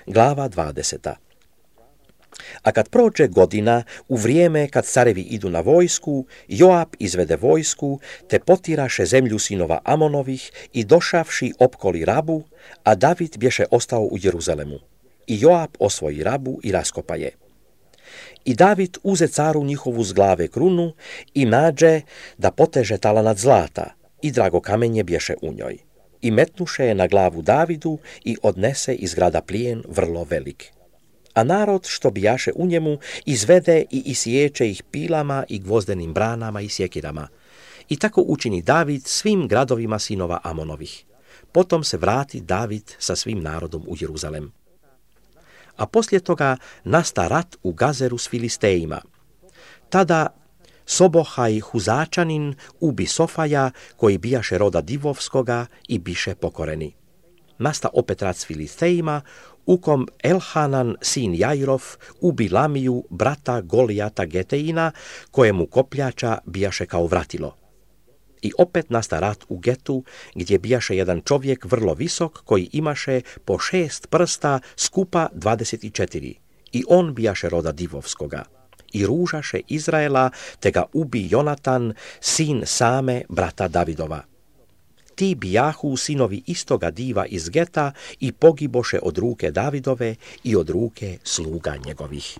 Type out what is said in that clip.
Glava 20. A kad prođe godina, u vrijeme kad carevi idu na vojsku, Joab izvede vojsku, te potiraše zemlju sinova Amonovih i došavši opkoli Rabu, a David bješe ostao u Jeruzalemu. I Joab osvoji Rabu i raskopa je. I David uze caru njihovu z glave krunu i nađe da poteže talanat zlata i drago kamenje bješe u njoj. I metnuše je na glavu Davidu i odnese iz grada plijen vrlo velik. A narod što bijaše u njemu izvede i isiječe ih pilama i gvozdenim branama i sjekirama. I tako učini David svim gradovima sinova Amonovih. Potom se vrati David sa svim narodom u Jeruzalem. A poslije toga nasta rat u Gazeru s Filistejima. Tada Sobohaj Huzačanin ubi Sofaja, koji bijaše roda Divovskoga i biše pokoreni. Nasta opet rat s Filistejima, u kom Elhanan, sin Jairov, ubi Lamiju, brata Golijata Geteina, kojemu kopljača bijaše kao vratilo. I opet nasta rat u Getu, gdje bijaše jedan čovjek vrlo visok, koji imaše po 6 prsta, skupa 24. I on bijaše roda Divovskoga. I ružaše Izraela, te ga ubi Jonatan, sin Same, brata Davidova. Ti bijahu sinovi istoga diva iz Geta i pogiboše od ruke Davidove i od ruke sluga njegovih.